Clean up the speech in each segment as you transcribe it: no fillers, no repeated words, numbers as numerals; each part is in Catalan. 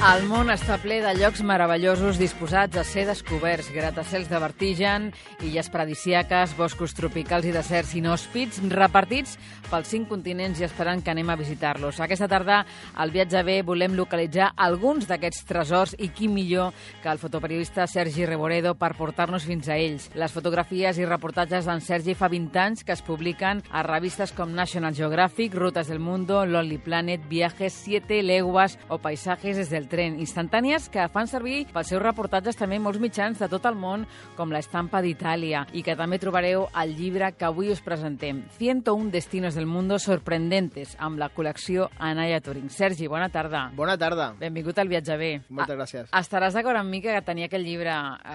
El món està ple de llocs meravellosos disposats a ser descoberts, gratacels de vertigen, illes paradisíaques, boscos tropicals i deserts inhòspits repartits pels 5 continents i esperant que anem a visitar-los. Aquesta tarda, al Viatge B, volem localitzar alguns d'aquests tresors i qui millor que el fotoperiodista Sergi Reboredo per portar-nos fins a ells. Les fotografies i reportatges d'en Sergi fa 20 anys que es publiquen a revistes com National Geographic, Rutas del Mundo, Lonely Planet, Viajes, 7 leguas o Paisajes des del tren, instantànies que fan servir pels seus reportatges també molts mitjans de tot el món, com la Estampa d'Itàlia, i que també trobareu al llibre que avui us presentem, 101 destinos del mundo sorprendentes, amb la col·lecció Anaya Turing. Sergi, bona tarda. Bona tarda. Benvingut al Viatge B. Moltes gràcies. Estaràs d'acord amb mi que tenia aquest llibre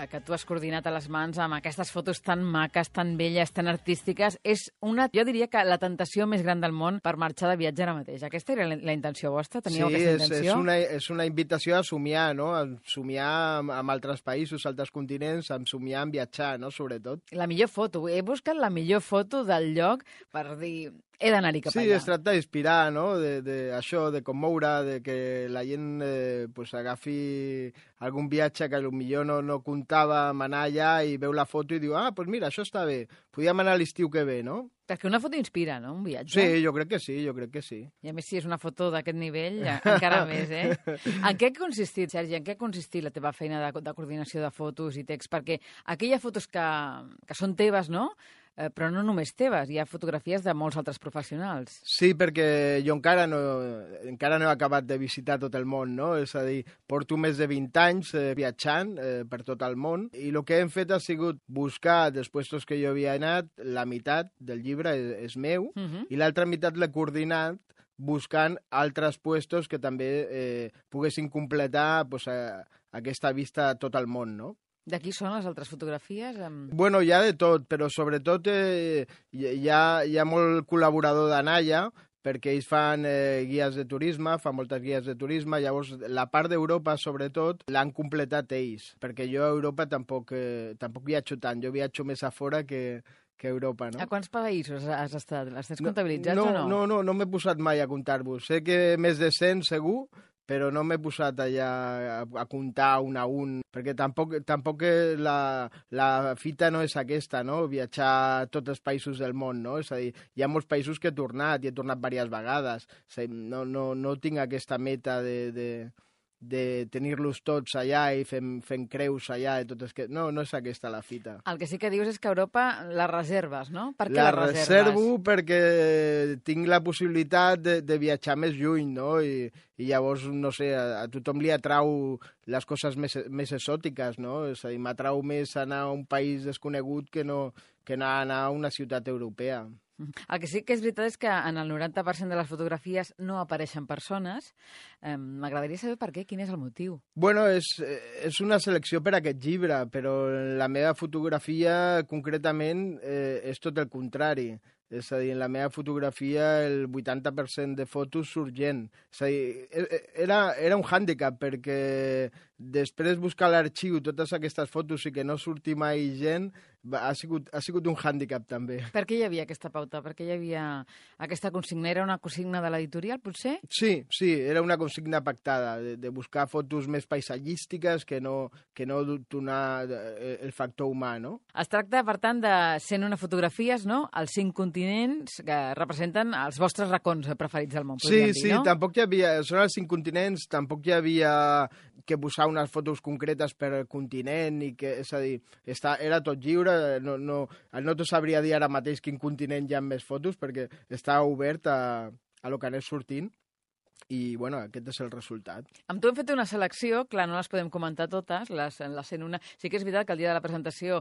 que tu has coordinat a les mans amb aquestes fotos tan maques, tan belles, tan artístiques. És una, jo diria que la tentació més gran del món per marxar de viatge ara mateix. Aquesta era la intenció vostra? Teníeu aquesta intenció? Sí, és una invitació a somiar, no? A somiar amb altres països, altres continents, a somiar en viatjar, no? Sobretot. La millor foto. He buscat la millor foto del lloc per dir... He d'anar-hi cap allà. Sí, es tracta d'inspirar, no? Això, de commoure, de que la gent pues, agafi algun viatge que potser no comptava amb anar allà i veu la foto i diu, pues mira, això està bé, podíem anar a l'estiu que ve, no? Perquè una foto inspira, no?, un viatge. Sí, jo crec que sí. I a més, si és una foto d'aquest nivell, encara més, eh? En què ha consistit, Sergi, en què ha consistit la teva feina de coordinació de fotos i text? Perquè aquelles fotos que són teves, no?, però no només teves, hi ha fotografies de molts altres professionals. Sí, perquè jo encara no he acabat de visitar tot el món, no? És a dir, porto més de 20 anys viatjant per tot el món i el que hem fet ha sigut buscar dels puestos que jo havia anat, la meitat del llibre és meu i l'altra meitat l'he coordinat buscant altres puestos que també poguessin completar pues, aquesta vista a tot el món, no? De qui són les altres fotografies? Bueno, hi ha de tot, però sobretot hi ha molt col·laborador d'Anaya, perquè ells fan guies de turisme, fan moltes guies de turisme, llavors la part d'Europa, sobretot, l'han completat ells, perquè jo a Europa tampoc viatjo tant, jo viatjo més a fora que Europa, no? A quants països has estat? Els tens comptabilitzats o no? No m'he posat mai a comptar-vos. Sé que més de 100 segur, però no m'he posat allà a comptar un a un, perquè tampoc la fita no és aquesta, no? Viatjar a tots els països del món, no? És a dir, hi ha molts països que he tornat, i he tornat diverses vegades. No tinc aquesta meta de tenir-los tots allà i fent creus allà i tot no és aquesta la fita. El que sí que dius és que a Europa la reserves, no? Per què la reserves? Reservo perquè tinc la possibilitat de viatjar més lluny, no? I llavors, no sé, a tothom li atrau les coses més exòtiques, no? És a dir, m'atrau més anar a un país desconegut que no anar a una ciutat europea. El que sí que és veritat és que en el 90% de les fotografies no apareixen persones. M'agradaria saber per què, quin és el motiu. Bueno, és una selecció per a aquest llibre, però la meva fotografia concretament és tot el contrari. És a dir, en la meva fotografia el 80% de fotos surt gent. És a dir, era un hàndicap perquè després buscar a l'arxiu totes aquestes fotos i que no surti mai gent ha sigut un hàndicap també. Per què hi havia aquesta pauta? Per què hi havia aquesta consigna? Era una consigna de l'editorial, potser? Sí, era una consigna pactada, de buscar fotos més paisatgístiques que no donar el factor humà, no? Es tracta, per tant, de 101 fotografies, no?, als 5 continents que representen els vostres racons preferits del món, podríem dir, no? Sí, tampoc hi havia... Són els 5 continents, tampoc hi havia que posar unes fotos concretes per continent, i que, és a dir, era tot lliure, no t'ho sabria dir ara mateix quin continent hi ha més fotos, perquè està obert a lo que anés sortint. I, bueno, aquest és el resultat. Amb tu hem fet una selecció, clar, no les podem comentar totes, les 101. Sí que és veritat que el dia de la presentació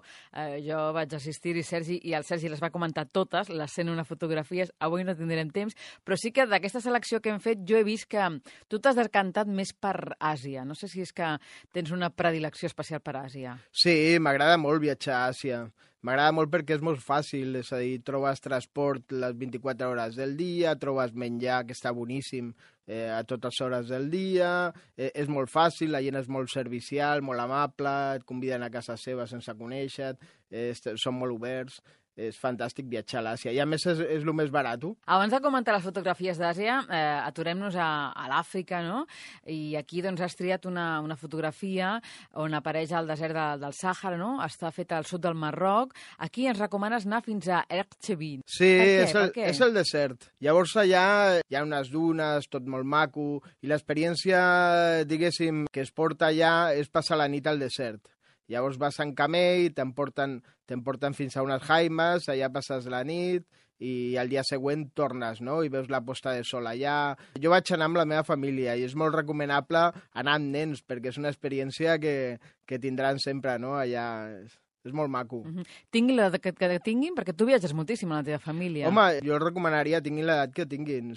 jo vaig assistir-hi, Sergi, i el Sergi les va comentar totes, les 101 fotografies. Avui no tindrem temps, però sí que d'aquesta selecció que hem fet jo he vist que tu t'has decantat més per Àsia. No sé si és que tens una predilecció especial per Àsia. Sí, m'agrada molt viatjar a Àsia. M'agrada molt perquè és molt fàcil, és a dir, trobes transport les 24 hores del dia, trobes menjar que està boníssim a totes hores del dia, és molt fàcil, la gent és molt servicial, molt amable, et conviden a casa seva sense conèixer-te, són molt oberts. és fantàstic viatjar a l'Àsia. I a més és el més barat. Abans de comentar les fotografies d'Àsia, aturem-nos a l'Àfrica, no? I aquí doncs, has triat una fotografia on apareix el desert del Sàhara, no? Està feta al sud del Marroc. Aquí ens recomanes anar fins a Erchevin. Sí, és el desert. Llavors allà hi ha unes dunes, tot molt maco, i l'experiència, diguéssim, que es porta allà és passar la nit al desert. Llavors vas en camell, t'emporten fins a unes jaimes, allà passes la nit i al dia següent tornes, no? I veus la posta de sol allà. Jo vaig anar amb la meva família i és molt recomanable anar amb nens perquè és una experiència que tindran sempre, no? Allà és molt maco. Tinguin l'edat que tinguin, perquè tu viatges moltíssim amb la teva família. Home, jo recomanaria tinguin l'edat que tinguin,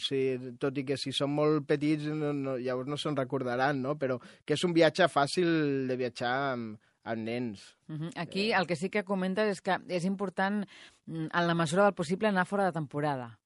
tot i que si són molt petits llavors no se'n recordaran, no? Però que és un viatge fàcil de viatjar amb nens. Aquí el que sí que comentes és que és important, en la mesura del possible, anar fora de temporada.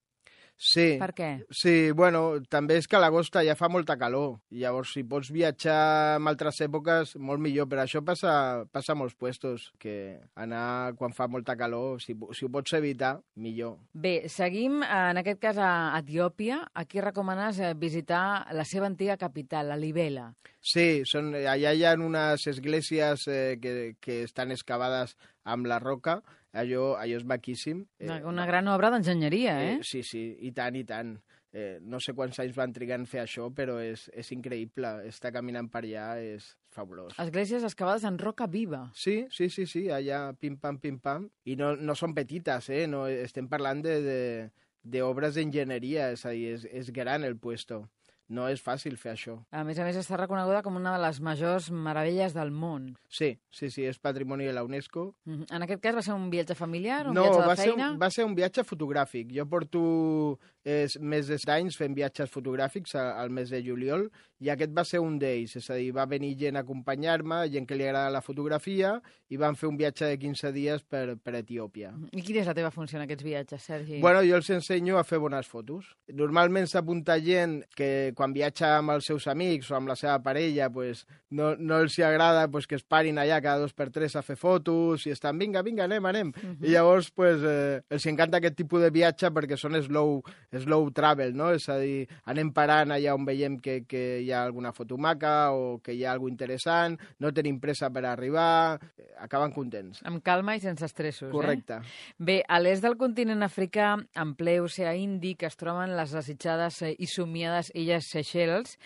Sí. Per què? Sí, bueno, també és que a l'agost ja fa molta calor. Llavors, si pots viatjar en altres èpoques, molt millor. Però això passa a molts puestos, que anar quan fa molta calor, si ho pots evitar, millor. Bé, seguim, en aquest cas, a Etiòpia. Aquí recomanes visitar la seva antiga capital, la Libela. Sí, allà hi ha unes esglésies que estan excavades amb la roca. Allò és maquíssim. Una gran obra d'enginyeria, eh? Sí, i tant, i tant. No sé quants anys van trigar en fer això, però és increïble. Estar caminant per allà és fabulós. Esglésies excavades en roca viva. Sí, allà pim-pam, pim-pam. I no són petites, no, estem parlant d'obres d'enginyeria, és a dir, és gran el puesto. No és fàcil fer això. A més, està reconeguda com una de les majors meravelles del món. Sí, és patrimoni de la UNESCO. En aquest cas va ser un viatge familiar, viatge de feina? No, va ser un viatge fotogràfic. Jo porto més d'anys fent viatges fotogràfics al mes de juliol i aquest va ser un d'ells. És a dir, va venir gent a acompanyar-me, gent que li agrada la fotografia, i vam fer un viatge de 15 dies per Etiòpia. I quina és la teva funció en aquests viatges, Sergi? Bueno, jo els ensenyo a fer bones fotos. Normalment s'apunta gent que quan viatja amb els seus amics o amb la seva parella, pues, no els agrada pues, que es parin allà cada 2 per 3 a fer fotos i estan, vinga, anem. I llavors pues, els encanta aquest tipus de viatge perquè són slow travel, no? És a dir, anem parant allà on veiem que hi ha alguna foto maca o que hi ha alguna interessant, no tenim pressa per arribar, acaben contents. Amb calma i sense estressos, Correcte. Bé, a l'est del continent africà, en ple oceà Índic, es troben les desitjades i somiades illes Seychelles.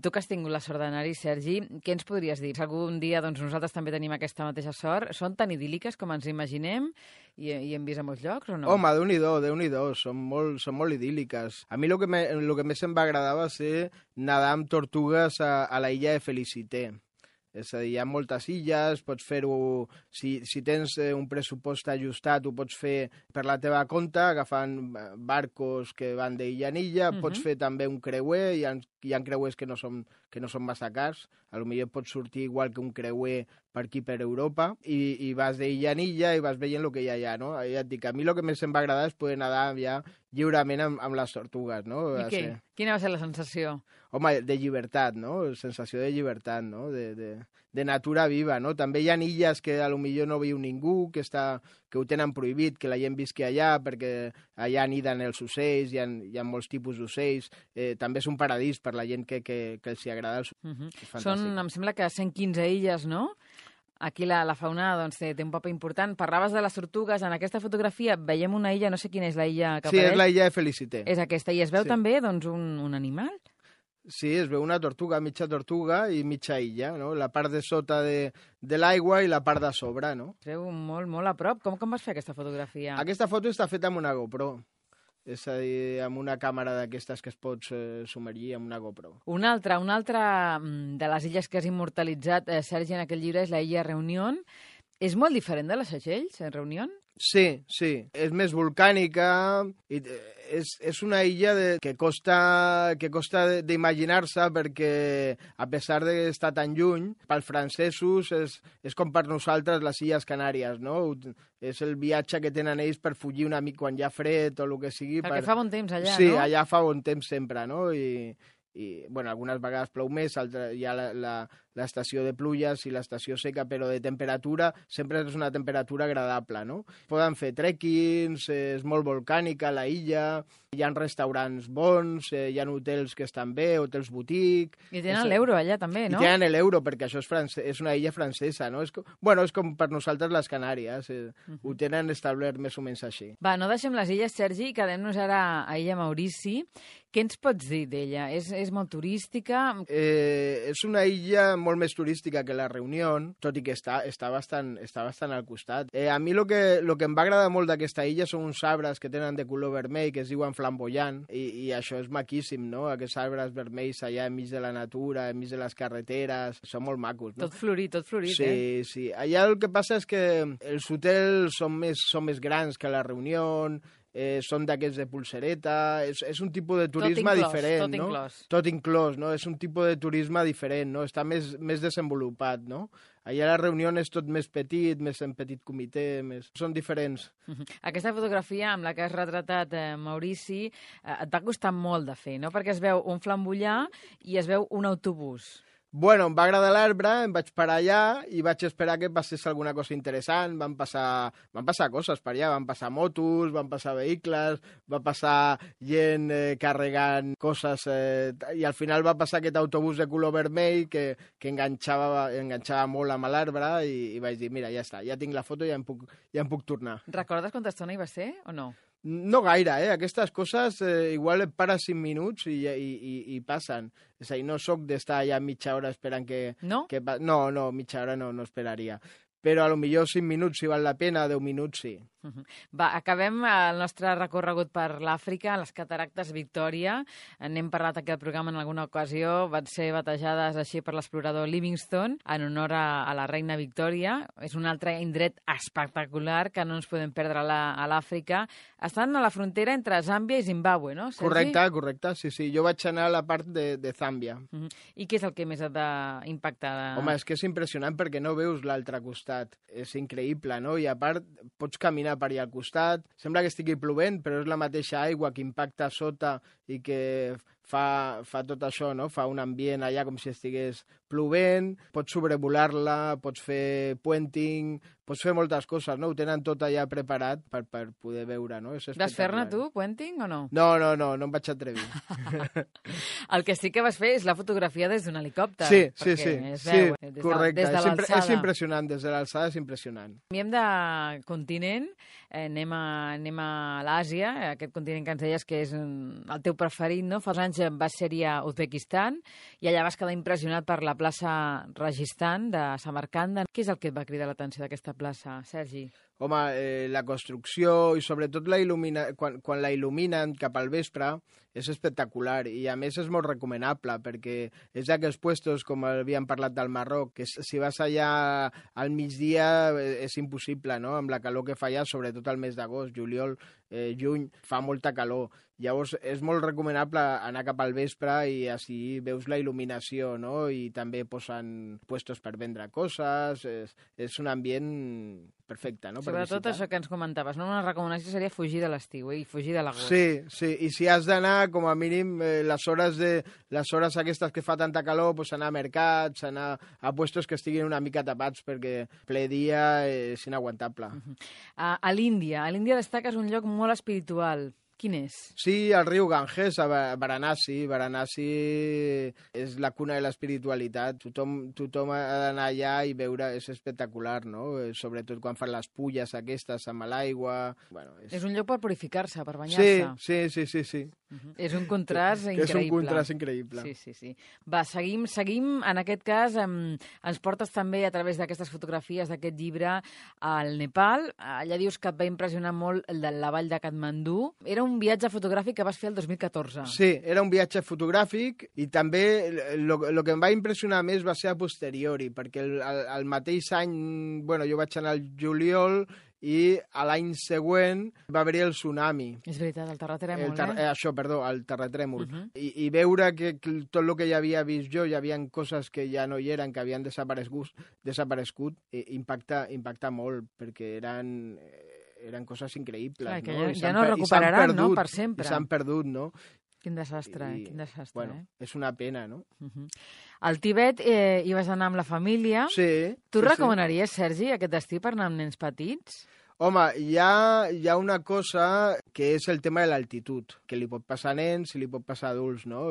Tu que has tingut la sort d'anar-hi, Sergi, què ens podries dir? Si algun dia nosaltres també tenim aquesta mateixa sort, són tan idíl·liques com ens imaginem i hem vist a molts llocs o no? Home, Déu-n'hi-do, són molt idíl·liques. A mi el que més em va agradar va ser nedar amb tortugues a la illa de Felicité. És a dir, hi ha moltes illes, pots fer-ho... Si tens un pressupost ajustat, ho pots fer per la teva compte, agafant barcos que van d'illa en illa, pots fer també un creuer, hi ha creuers que no són massa cars, potser pots sortir igual que un creuer per aquí per Europa, i vas d'illa en illa i vas veient el que hi ha allà, no? Ja et dic, a mi el que més em va agradar és poder nedar ja lliurement amb les tortugues, no? I què? Quina va ser la sensació? Home, de llibertat, no? Sensació de llibertat, no? De natura viva, no? També hi ha illes que potser no viu ningú, que ho tenen prohibit, que la gent visqui allà, perquè allà aniden els ocells, hi ha molts tipus d'ocells. També és un paradís per la gent que els hi agrada. Són, em sembla que 115 illes, no? Aquí la fauna té un paper important. Parlaves de les tortugues. En aquesta fotografia veiem una illa, no sé quina és la illa que apareix. Sí, és la illa de Felicité. És aquesta. I es veu també un animal? Sí, es veu una tortuga, mitja tortuga i mitja illa, no? La part de sota de l'aigua i la part de sobre, no? Es veu molt a prop. Com vas fer aquesta fotografia? Aquesta foto està feta amb una GoPro. És a dir, amb una càmera d'aquestes que es pots submergir amb una GoPro. Una altra de les illes que has immortalitzat, Sergi, en aquest llibre és la illa Reunión. És molt diferent de les Seychelles, Reunión? Sí. És més volcànica i és una illa que costa d'imaginar-se perquè, a pesar d'estar tan lluny, pels francesos és com per nosaltres les Illes Canàries, no? És el viatge que tenen ells per fugir una mica quan hi ha fred o el que sigui. Perquè fa bon temps allà, no? Sí, no? allà fa bon temps sempre, no? I bueno, algunes vegades plou més, hi ha l'estació de pluges i l'estació seca, però de temperatura sempre és una temperatura agradable, no? Poden fer trekkings, és molt volcànica la illa, hi ha restaurants bons, hi ha hotels que estan bé, hotels boutique... I tenen l'euro allà també, no? I tenen l'euro, perquè això és una illa francesa, no? És com per nosaltres les Canàries, ho tenen establert més o menys així. Va, no deixem les illes, Sergi, quedem-nos ara a Illa Maurici. Què ens pots dir d'ella? És molt turística? És una illa molt més turística que la Reunió, tot i que està bastant al costat. A mi el que em va agradar molt d'aquesta illa són uns arbres que tenen de color vermell, que es diuen flamboyant, i això és maquíssim, no? Aquests arbres vermells allà enmig de la natura, enmig de les carreteres, són molt macos, no? Tot florit, sí, Sí. Allà el que passa és que els hotels són més grans que la Reunió, són d'aquests de pulsereta, és un tipus de turisme diferent, no? Tot inclòs, no? És un tipus de turisme diferent, no? Està més desenvolupat, no? Allà la Reunió és tot més petit, més en petit comitè, són diferents. Aquesta fotografia amb la que has retratat Maurici et va costar molt de fer, no? Perquè es veu un flambollar i es veu un autobús. Bueno, em va agradar l'arbre, em vaig parar allà i vaig esperar que passés alguna cosa interessant. Van passar coses per allà, van passar motos, van passar vehicles, va passar gent carregant coses i al final va passar aquest autobús de color vermell que enganxava molt amb l'arbre i vaig dir, mira, ja està, ja tinc la foto i ja em puc tornar. Recordes quanta estona hi va ser o no? No gaire, Aquestes coses igual et pares 5 minuts i passen. És a dir, no sóc d'estar allà mitja hora esperant que... No? No, mitja hora no esperaria. Però a lo millor 5 minuts si val la pena, 10 minuts sí. Va, acabem el nostre recorregut per l'Àfrica, les cataractes Victòria. N'hem parlat aquí al programa en alguna ocasió. Van ser batejades així per l'explorador Livingstone en honor a la reina Victòria. És un altre indret espectacular que no ens podem perdre a l'Àfrica. Estan a la frontera entre Zàmbia i Zimbàbue, no, Sergi? Correcte, sí. Jo vaig anar a la part de Zàmbia. I què és el que més et va impactar? Home, és que és impressionant perquè no veus l'altre costat. És increïble, no? I a part, pots caminar per allà al costat. Sembla que estigui plovent, però és la mateixa aigua que impacta a sota i que fa tot això, no? Fa un ambient allà com si estigués plovent, pots sobrevolar-la, pots fer puenting, pots fer moltes coses, no? Ho tenen tot allà preparat per poder veure, no? Vas fer-ne tu, puenting, o no? No em vaig atrevir. El que sí que vas fer és la fotografia des d'un helicòpter. Sí, correcte. És impressionant, des de l'alçada és impressionant. Canviem de continent, anem a l'Àsia, aquest continent que ens deies que és el teu preferit, no? Fa uns anys vas ser-hi a Uzbekistan i allà vas quedar impressionat per la plaça Rajasthan de Samarcanda. Què és el que et va cridar l'atenció d'aquesta plaça, Sergi? Home, la construcció i sobretot quan la il·luminen cap al vespre és espectacular i a més és molt recomanable perquè és d'aquells puestos, com havíem parlat del Marroc, que si vas allà al migdia és impossible, no? Amb la calor que fa allà, sobretot al mes d'agost, juliol, juny, fa molta calor. Llavors és molt recomanable anar cap al vespre i així veus la il·luminació, no? I també posen puestos per vendre coses, és un ambient perfecte, no? Sobretot això que ens comentaves, no? Una recomanació seria fugir de l'estiu i fugir de l'agost. Sí, i si has d'anar, com a mínim, les hores aquestes que fa tanta calor, pues anar a mercats, anar a puestos que estiguin una mica tapats, perquè ple dia és inaguantable. A l'Índia destaques un lloc molt espiritual. Quin és? Sí, el riu Ganges, a Varanasi. Varanasi és la cuna de l'espiritualitat. Tothom ha d'anar allà i veure, és espectacular, no? Sobretot quan fan les pulles aquestes amb l'aigua. Bueno, és un lloc per purificar-se, per banyar-se. Sí. És un contrast increïble. És un contrast increïble. Sí. Va, seguim. En aquest cas, ens portes també a través d'aquestes fotografies d'aquest llibre al Nepal. Allà dius que et va impressionar molt la vall de Katmandú. Era un viatge fotogràfic que vas fer el 2014. Sí, era un viatge fotogràfic i també el que em va impressionar més va ser a posteriori, perquè el mateix any, bueno, jo vaig anar al juliol i a l'any següent va haver-hi el tsunami. És veritat, el terratrèmol, el terratrèmol. I veure que tot el que ja havia vist jo, hi havia coses que ja no hi eren, que havien desaparegut, impacta molt, perquè eren coses increïbles. Clar, no? Ja no recuperaran, no?, per sempre. I s'han perdut, no? Quin desastre, quin desastre. Bueno, és una pena, no? Al Tibet hi vas anar amb la família. Sí. Tu recomanaries, Sergi, aquest destí per anar amb nens petits? Home, hi ha una cosa que és el tema de l'altitud, que li pot passar a nens i li pot passar a adults, no?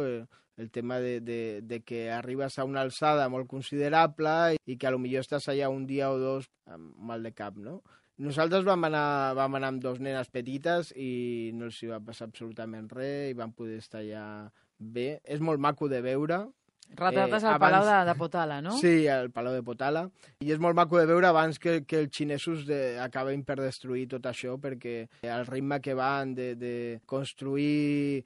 El tema de que arribes a una alçada molt considerable i que potser estàs allà un dia o dos amb mal de cap, no? Nosaltres vam anar amb 2 nenes petites i no els hi va passar absolutament res i vam poder estar allà bé. És molt maco de veure. Retrates al Palau de Potala, no? Sí, al Palau de Potala. I és molt maco de veure abans que els xinesos acaben per destruir tot això, perquè el ritme que van de construir...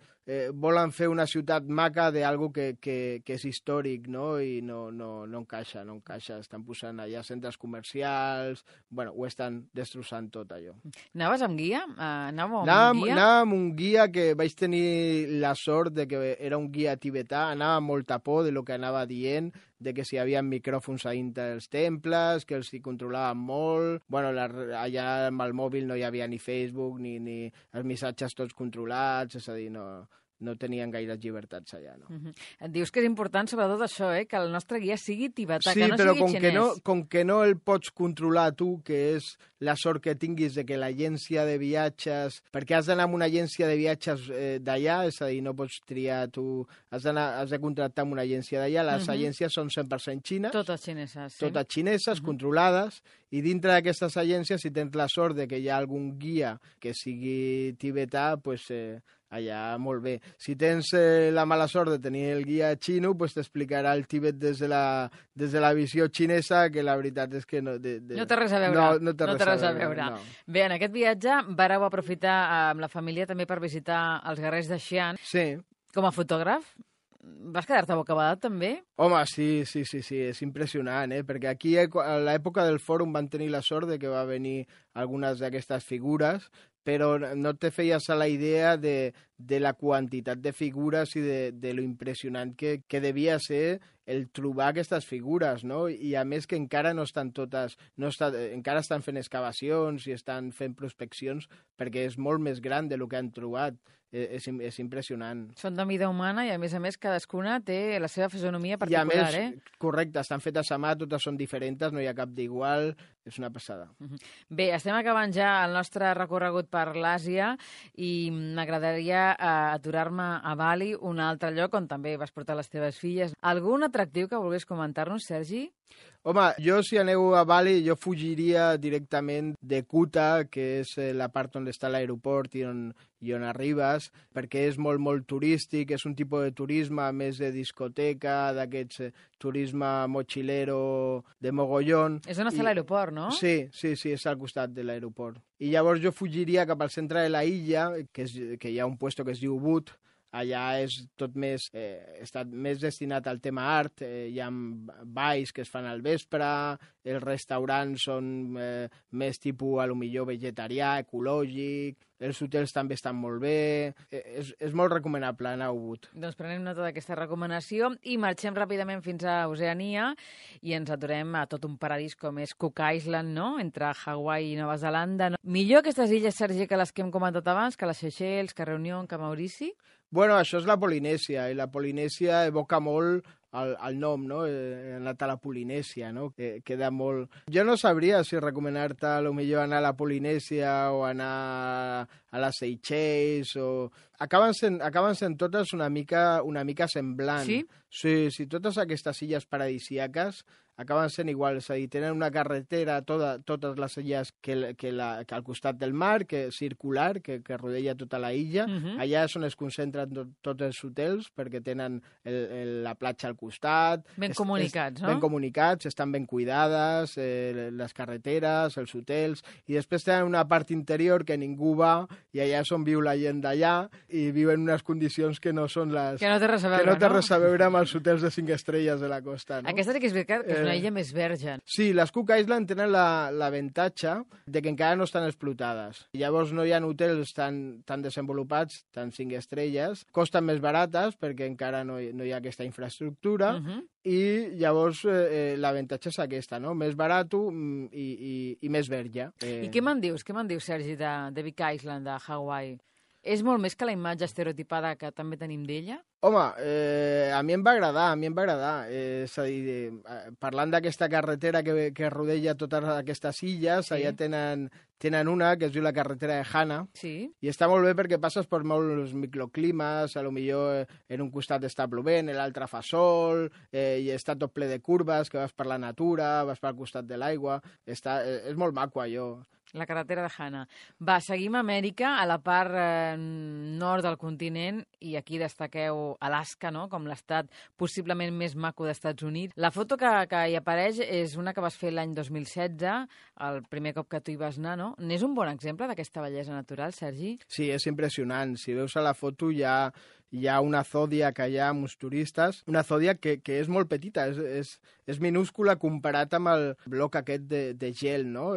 volen fer una ciutat maca d'algo que és històric, no? I no encaixa, no encaixa. Estan posant allà centres comercials... Bueno, ho estan destrossant tot, allò. Anaves amb guia? Anàvem amb un guia que vaig tenir la sort de que era un guia tibetà, anava amb molta por de lo que anava dient, de que si hi havia micròfons a dintre dels temples, que els hi controlaven molt... Bueno, allà amb el mòbil no hi havia ni Facebook, ni els missatges tots controlats, és a dir, no tenien gaires llibertats allà, no? Et dius que és important, sobretot això, que el nostre guia sigui tibetà, sí, que no sigui xinès. Sí, però com que no el pots controlar tu, que és la sort que tinguis de que l'agència de viatges... Perquè has d'anar amb una agència de viatges d'allà, és a dir, no pots triar tu... Has de contractar amb una agència d'allà. Les agències són 100% xines. Totes xineses, sí. Totes xineses, controlades, i dintre d'aquestes agències, si tens la sort de que hi ha algun guia que sigui tibetà, doncs... allà molt bé. Si tens la mala sort de tenir el guia xino, pues t'explicarà el Tibet des de la visió xinesa, que la veritat és que no... No té res a veure. No té res a veure. No. Bé, en aquest viatge vareu aprofitar amb la família també per visitar els guerrers de Xi'an. Sí. Com a fotògraf, vas quedar-te bocabadat també? Home, sí, és impressionant, perquè aquí a l'època del fòrum van tenir la sort de que va venir algunes d'aquestes figures, però no te feies a la idea de la quantitat de figures i de lo impressionant que devia ser el trobar aquestes figures, no? I a més que encara no estan totes... encara estan fent excavacions i estan fent prospeccions perquè és molt més gran de lo que han trobat. És impressionant. Són de mida humana i, a més, cadascuna té la seva fisonomia particular, I, a més, correcte, estan fetes a mà, totes són diferents, no hi ha cap d'igual, és una passada. Bé, estem acabant ja el nostre recorregut per l'Àsia i m'agradaria aturar-me a Bali, un altre lloc on també vas portar les teves filles. Algun atractiu que volgués comentar-nos, Sergi? Home, jo si aneu a Bali, jo fugiria directament de Kuta, que és la part on està l'aeroport i on arribes, perquè és molt, molt turístic, és un tipus de turisme més de discoteca, d'aquests turisme mochilero de mogollón. És on està l'aeroport, no? Sí, és al costat de l'aeroport. I llavors jo fugiria cap al centre de la illa, que hi ha un puesto que es diu Ubud. Allà és tot més, està més destinat al tema art, hi ha balls que es fan al vespre, els restaurants són més tipus, potser vegetarià, ecològic, els hotels també estan molt bé, és molt recomanable anar a Ubud. Doncs prenem nota d'aquesta recomanació i marxem ràpidament fins a Oceania i ens aturem a tot un paradís com és Cook Island, no?, entre Hawaii i Nova Zelanda. No? Millor aquestes illes, Sergi, que les que hem comentat abans, que les Seychelles, que Reunió, que Maurici? Bueno, això és la Polinèsia, i la Polinèsia evoca molt el nom, no? He anat a la Polinèsia, no? Que queda molt... Jo no sabria si recomanar-te potser anar a la Polinèsia o anar a les Seychelles o... Acaben sent totes una mica semblant. Sí? Sí, totes aquestes illes paradisíaques acaben sent igual, és a dir, tenen una carretera, totes les illes que al costat del mar, que circular, que rodella tota la illa. Allà és on es concentren tots els hotels, perquè tenen la platja al costat. Ben comunicats, no? Ben comunicats, estan ben cuidades, les carreteres, els hotels, i després tenen una part interior que ningú va, i allà és on viu la gent d'allà, i viuen en unes condicions que no són les... Que no té res a veure, no? Que no té res a veure amb els hotels de 5 estrelles de la costa, no? Aquesta sí que és veritat, que és una illa més verge. Sí, les Cook Island tenen l'avantatge de que encara no estan explotades. Llavors no hi ha hotels tan desenvolupats, tan 5 estrelles, costen més barates perquè encara no hi ha aquesta infraestructura, i llavors l'avantatge és aquesta, no? Més barat i més verge. I què me'n dius, Sergi, de Big Island, de Hawaii? És molt més que la imatge estereotipada que també tenim d'ella? Home, a mi em va agradar. És a dir, parlant d'aquesta carretera que rodeja totes aquestes illes, Sí. allà tenen una que es diu la carretera de Hana, Sí. i està molt bé perquè passes per molts microclimes, a lo millor en un costat està plovent, l'altre fa sol, i està tot ple de curves, que vas per la natura, vas pel costat de l'aigua, és molt maco allò. La carretera de Hana. Va, seguim a Amèrica, a la part nord del continent, i aquí destaqueu Alaska, no?, com l'estat possiblement més maco d'Estats Units. La foto que hi apareix és una que vas fer l'any 2016, el primer cop que tu hi vas anar, no? N'és un bon exemple d'aquesta bellesa natural, Sergi? Sí, és impressionant. Si veus a la foto hi ha una zòdia que hi ha amb uns turistes, una zòdia que és molt petita, és minúscula comparat amb el bloc aquest de gel, no?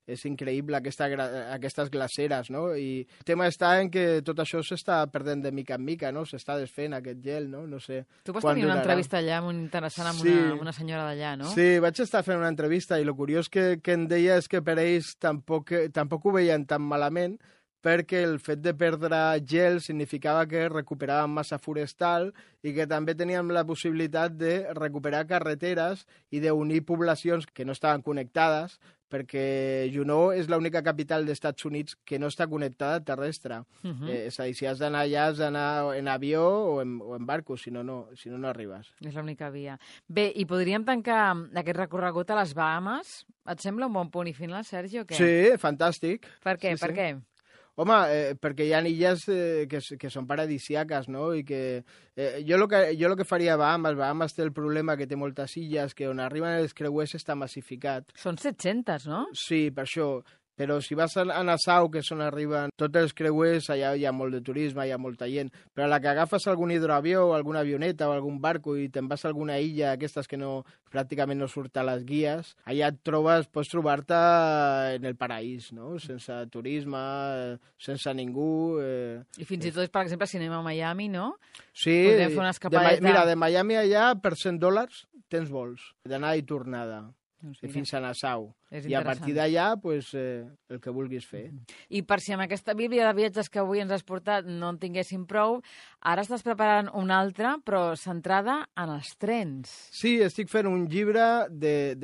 És increïble aquestes glaceres, no? I el tema està en que tot això s'està perdent de mica en mica, no? S'està desfent aquest gel, no? No sé. Tu vas tenir una entrevista allà molt interessant amb una senyora d'allà, no? Sí, vaig estar fent una entrevista i el curiós que em deia és que per ells tampoc ho veien tan malament, perquè el fet de perdre gel significava que recuperàvem massa forestal i que també teníem la possibilitat de recuperar carreteres i d'unir poblacions que no estaven connectades, perquè Juneau és l'única capital dels Estats Units que no està connectada terrestre. És a dir, si has d'anar allà, has d'anar en avió o en barco, si no, no arribes. És l'única via. Bé, i podríem tancar aquest recorregut a les Bahamas? Et sembla un bon punt i final, Sergi, o què? Sí, fantàstic. Per què? Sí, Per què? Home, perquè hi ha illes que són paradisíaques, no? I que jo el que faria a Bahamas té el problema que té moltes illes, que on arriben els creuers està massificat. Són 700, no? Sí, per això. Però si vas a Nassau, que és on arriben tots els creuers, allà hi ha molt de turisme, hi ha molta gent. Però a la que agafes algun hidroavió o alguna avioneta o algun barco i te'n vas a alguna illa, aquestes que pràcticament no surt a les guies, allà pots trobar-te en el paraís, no? Sense turisme, sense ningú. I fins i tot, per exemple, si anem a Miami, no? Sí. Podem fer una escapadeta. Mira, de Miami allà, per $100 tens vols, d'anar i tornada. Fins a Nassau. I a partir d'allà, pues, el que vulguis fer. I per si amb aquesta bíblia de viatges que avui ens has portat no en tinguéssim prou, ara estàs preparant una altra, però centrada en els trens. Sí, estic fent un llibre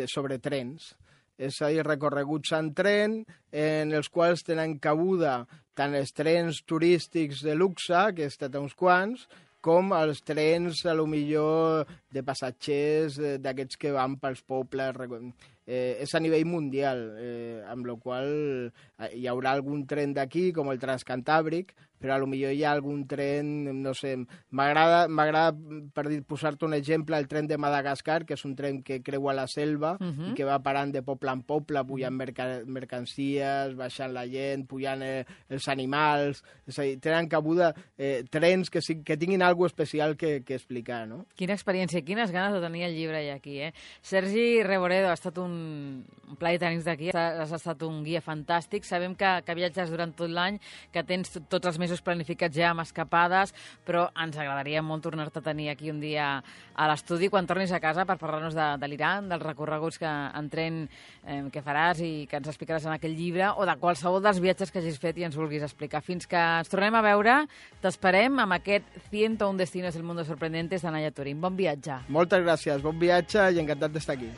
sobre trens. És a dir, recorreguts en tren, en els quals tenen cabuda tant els trens turístics de luxe, que he estat a uns quants, com els trens, a lo millor, de passatgers, d'aquests que van pels pobles. És a nivell mundial, amb la qual hi haurà algun tren d'aquí, com el Transcantàbric, però a lo millor hi ha algun tren, no sé, m'agrada, per posar-te un exemple, el tren de Madagascar, que és un tren que creua la selva i que va parant de poble en poble, pujant mercancies, baixant la gent, pujant els animals. És a dir, tenen cabuda trens que tinguin alguna cosa especial que explicar, no? Quina experiència, quines ganes de tenir el llibre ja aquí, eh? Sergi Reboredo, ha estat un plaer tenir-te aquí, has estat un guia fantàstic, sabem que viatges durant tot l'any, que tens tots els mesos planificats ja amb escapades, però ens agradaria molt tornar-te a tenir aquí un dia a l'estudi quan tornis a casa per parlar-nos de l'Iran, dels recorreguts en tren que faràs i que ens explicaràs en aquell llibre, o de qualsevol dels viatges que hagis fet i ens vulguis explicar. Fins que ens tornem a veure, t'esperem amb aquest 101 destinos del mundo sorprendentes de Naya Turín. Bon viatge. Moltes gràcies, bon viatge i encantat d'estar aquí.